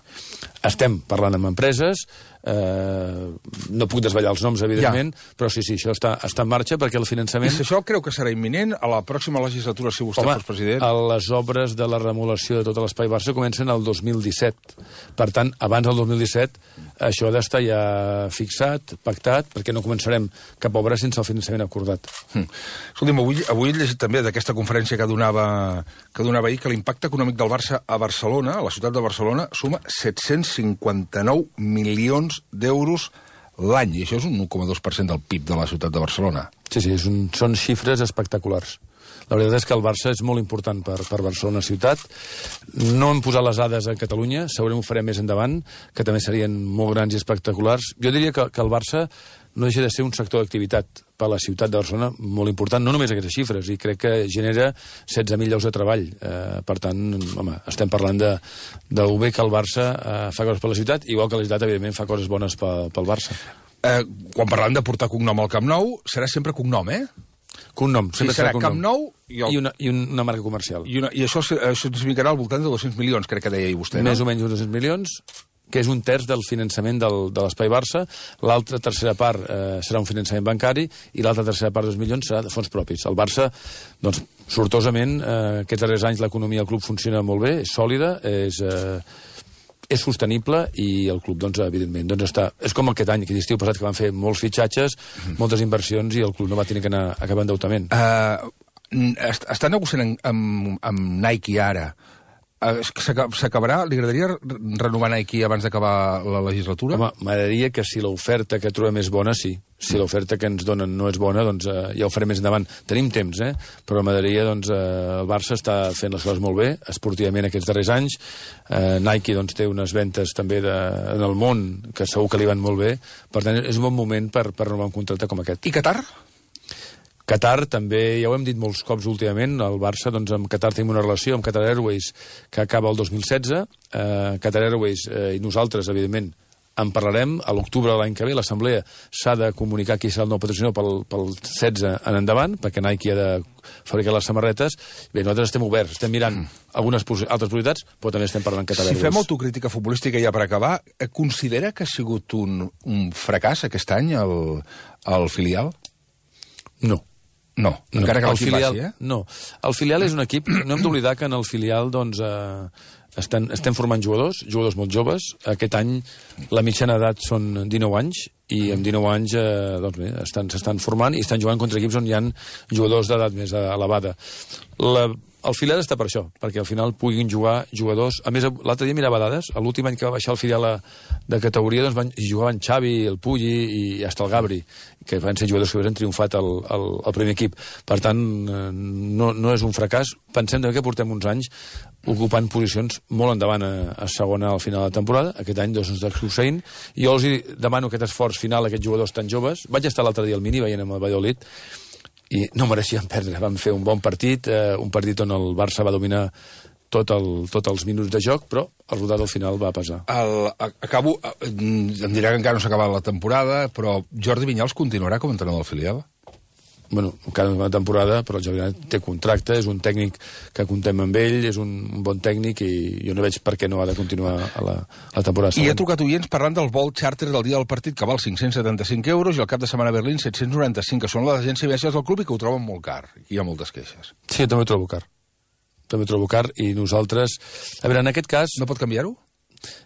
Estem parlant amb empreses, eh, no puc desvetllar els noms, evidentment, ja. Però sí, sí, això està, està en marxa perquè el finançament... I si això creu que serà imminent a la pròxima legislatura, si vostè Home, fos president? Home, les obres de la remodelació de tot l'Espai Barça comencen el dos mil disset. Per tant, abans del dos mil disset, això ha d'estar ja fixat, pactat, perquè no començarem cap obra sense el finançament acordat. Hm. Escolti'm, avui, avui he llegit també d'aquesta conferència que donava, que donava ahir que l'impacte econòmic del Barça a Barcelona, a la ciutat de Barcelona, suma set-cents cinquanta-nou milions d'euros l'any, i això és un un coma dos per cent del P I B de la ciutat de Barcelona. Sí, sí, és un, són xifres espectaculars. La veritat és que el Barça és molt important per, per Barcelona ciutat. No hem posat les dades a Catalunya, segurament ho farem més endavant, que també serien molt grans i espectaculars. Jo diria que, que el Barça no deixa de ser un sector d'activitat per a la ciutat de Barcelona molt important, no només aquestes xifres, i crec que genera setze mil llocs de treball. Eh, per tant, home, estem parlant de, de bé que el Barça eh, fa coses per la ciutat, igual que la ciutat, evidentment, fa coses bones pel, pel Barça. Eh, quan parlem de portar cognom al Camp Nou, serà sempre cognom, eh? Cognom, sempre serà serà cognom. Camp Nou i, el... I, una, i una marca comercial. I, una, i això, això significarà al voltant de dos-cents milions, crec que deia vostè, no? Més o menys uns dos-cents milions, que és un terç del finançament del, de l'Espai Barça. L'altra tercera part eh, serà un finançament bancari i l'altra tercera part, dos milions, serà de fons propis. El Barça, doncs, sortosament, eh, aquests darrers anys l'economia del club funciona molt bé, és sòlida, és, eh, és sostenible i el club, doncs, evidentment, doncs està... És com aquest any, aquest estiu passat, que van fer molts fitxatges, mm. moltes inversions i el club no va tenir que anar a cap endeutament. Uh, est està negociant amb, amb Nike ara. S'acabarà? Li agradaria renovar Nike abans d'acabar la legislatura? Home, m'agradaria que si l'oferta que trobem és bona, sí. Si l'oferta que ens donen no és bona, doncs eh, ja ho farem més endavant. Tenim temps, eh? Però m'agradaria, doncs, eh, el Barça està fent les coses molt bé, esportivament aquests darrers anys. Eh, Nike, doncs, té unes ventes també de, en el món que segur que li van molt bé. Per tant, és un bon moment per, per renovar un contracte com aquest. I Qatar? Qatar també, ja ho hem dit molts cops últimament, el Barça, doncs amb Qatar tenim una relació amb Qatar Airways que acaba el dos mil setze. Eh, Qatar Airways eh, i nosaltres, evidentment, en parlarem. A l'octubre de l'any que ve l'Assemblea s'ha de comunicar qui serà el nou patrocinador pel, pel setze en endavant, perquè Nike ha de fabricar les samarretes. Bé, nosaltres estem oberts, estem mirant algunes altres prioritats, però també estem parlant Qatar Airways. Si fem autocrítica futbolística ja per acabar, considera que ha sigut un, un fracàs aquest any el, el filial? No. No, encara no, que l'equip filial, passi, eh? No, el filial és un equip... No hem d'oblidar que en el filial, doncs, eh, estem, estem formant jugadors, jugadors molt joves. Aquest any la mitjana d'edat són dinou anys, i amb dinou anys, eh, doncs bé, s'estan formant i estan jugant contra equips on hi ha jugadors d'edat més elevada. La... El filial està per això, perquè al final puguin jugar jugadors... A més, l'altre dia mirava dades, l'últim any que va baixar el filial de categoria, doncs van, hi jugaven Xavi, el Pulli i hasta el Gabri, que van ser jugadors que han triomfat al, al, al primer equip. Per tant, no, no és un fracàs. Pensem que portem uns anys ocupant posicions molt endavant a, a segona al final de la temporada. Aquest any, dos ens està succeint. I jo els demano aquest esforç final a aquests jugadors tan joves. Vaig estar l'altre dia al Mini veient amb el Valladolid, i no mereixien perdre. Vam fer un bon partit, eh, un partit on el Barça va dominar tot el, tots els minuts de joc, però el resultat al final va pesar. El, acabo, em dirà que encara no s'ha acabat la temporada, però Jordi Vinyals continuarà com a entrenador del filial? Bueno, encara una temporada, però el Jordi Vinyals té contracte, és un tècnic que contem amb ell, és un, un bon tècnic i jo no veig per què no ha de continuar a la, a la temporada següent. I he trucat oients parlant del vol xàrter del dia del partit, que val cinc-cents setanta-cinc euros, i el cap de setmana a Berlín set-cents noranta-cinc, que són les agències de viatges del club i que ho troben molt car. Hi ha moltes queixes. Sí, jo també ho trobo car. També ho trobo car i nosaltres... A veure, en aquest cas... No pot canviar-ho?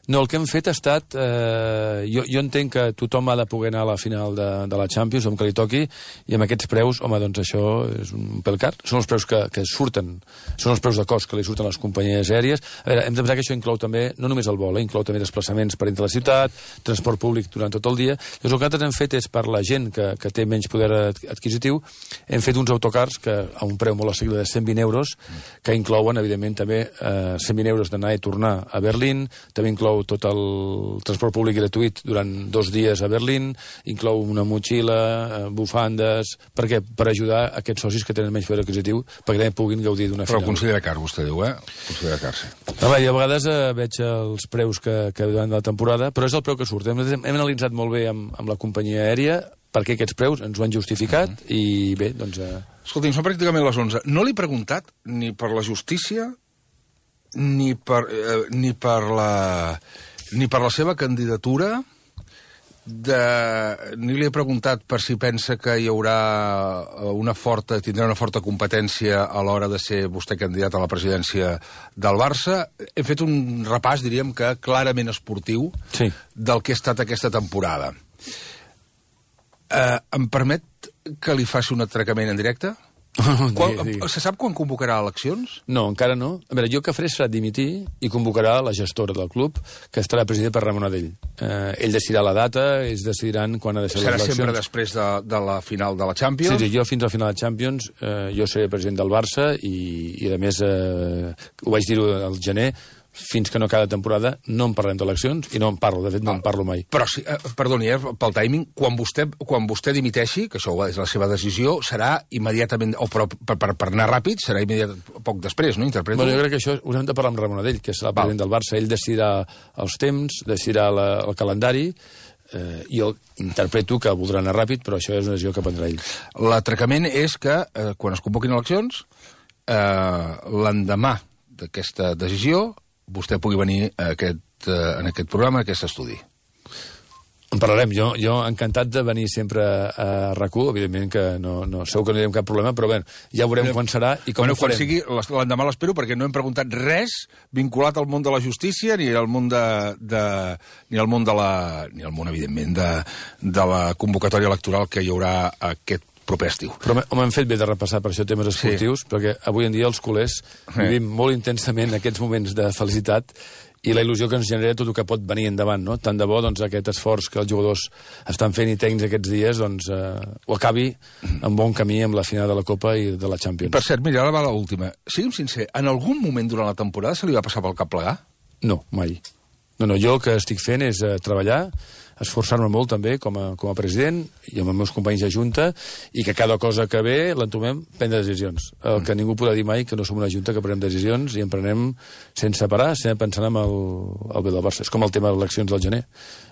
No, el que hem fet ha estat... Eh, jo, jo entenc que tothom ha de poder anar a la final de, de la Champions, com que li toqui, i amb aquests preus, home, doncs això és un pèl car. Són els preus que, que surten, són els preus de cost que li surten a les companyies aèries. A veure, hem de pensar que això inclou també, no només el vol, eh, inclou també desplaçaments per entre la ciutat, transport públic durant tot el dia. Llavors, el que nosaltres hem fet és, per la gent que, que té menys poder adquisitiu, hem fet uns autocars que a un preu molt assequible de cent vint euros, que inclouen, evidentment, també eh, cent vint euros d'anar i tornar a Berlín, també inclou tot el transport públic gratuït durant dos dies a Berlín, inclou una motxilla, bufandes... Per què? Per ajudar aquests socis que tenen menys poder adquisitiu perquè també puguin gaudir d'una final. Però considera car, vostè diu, eh? Considera car, sí. Home, jo a vegades eh, veig els preus que, que durant la temporada, però és el preu que surt. Hem, hem analitzat molt bé amb, amb la companyia aèria perquè aquests preus ens ho han justificat mm -hmm. i bé, doncs... Eh... Escolti'm, són pràcticament les onze. No l'he preguntat ni per la justícia ni per, eh, ni per la ni per la seva candidatura de, ni li he preguntat per si pensa que hi haurà una forta, tindrà una forta competència a l'hora de ser vostè candidat a la presidència del Barça. He fet un repàs, diríem que clarament esportiu, sí, del que ha estat aquesta temporada. Eh, em permet que li faci un atracament en directe? Quan, se sap quan convocarà eleccions? No, encara no. A veure, jo que faré serà dimitir i convocarà la gestora del club, que estarà presidida per Ramon Adell. Eh, ell decidirà la data, ells decidiran quan ha de ser les eleccions. Serà sempre després de, de la final de la Champions? Sí, sí, jo fins a la final de Champions eh, jo seré president del Barça i, i a més, eh, ho vaig dir al gener, fins que no cada temporada no en parlem d'eleccions i no en parlo, de fet no en parlo mai. Però, sí, eh, perdoni, eh, pel timing, quan vostè, quan vostè dimiteixi, que això és la seva decisió, serà immediatament, o però per, per, per anar ràpid, serà immediat, poc després, no? Interpreto? Bueno, jo crec que això ho hem de parlar amb Ramon Adell, que serà el president del Barça. Ell decidirà els temps, decidirà la, el calendari. eh, jo interpreto que voldrà anar ràpid, però això és una decisió que prendrà ell. L'atracament és que, eh, quan es convoquin eleccions, eh, l'endemà d'aquesta decisió, vostè pugui venir a aquest, eh, en aquest programa, a aquest estudi. En parlarem. Jo, jo encantat de venir sempre a RAC1, evidentment que no, no, segur que no hi ha cap problema, però bé, ja veurem quan serà i com bueno, ho farem. Quan sigui, l'endemà l'espero, perquè no hem preguntat res vinculat al món de la justícia, ni al món de, de ni al món de la, ni al món, evidentment, de, de la convocatòria electoral que hi haurà aquest proper estiu. Però home, hem fet bé de repassar per això temes esportius, sí. Perquè avui en dia els culers sí. vivim molt intensament aquests moments de felicitat i la il·lusió que ens genera tot el que pot venir endavant, no? Tant de bo, doncs, aquest esforç que els jugadors estan fent i tècnics aquests dies, doncs, eh, ho acabi en bon camí amb la final de la Copa i de la Champions. Per cert, mira, ara va l'última. Sigui'm sincer, en algun moment durant la temporada se li va passar pel cap plegar? No, mai. No, no, jo el que estic fent és eh, treballar, esforçar-me molt també com a, com a president i amb els meus companys de junta i que cada cosa que ve l'entomem prendre decisions. El que ningú podrà dir mai que no som una junta que prenem decisions i en prenem sense parar, sempre pensant en el, el bé del Barça. És com el tema de les eleccions del gener.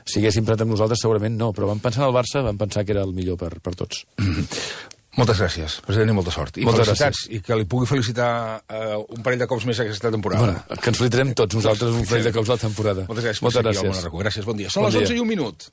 Si haguéssim pres amb nosaltres segurament no, però vam pensar en el Barça, vam pensar que era el millor per, per tots. Moltes gràcies, president, i molta sort. I moltes felicitats, gràcies. I que li pugui felicitar uh, un parell de cops més aquesta temporada. Bueno, que ens felicitarem tots nosaltres un parell de cops a la temporada. Moltes gràcies. Moltes gràcies. Gràcies, bon dia. Són bon les onze dia. I un minut.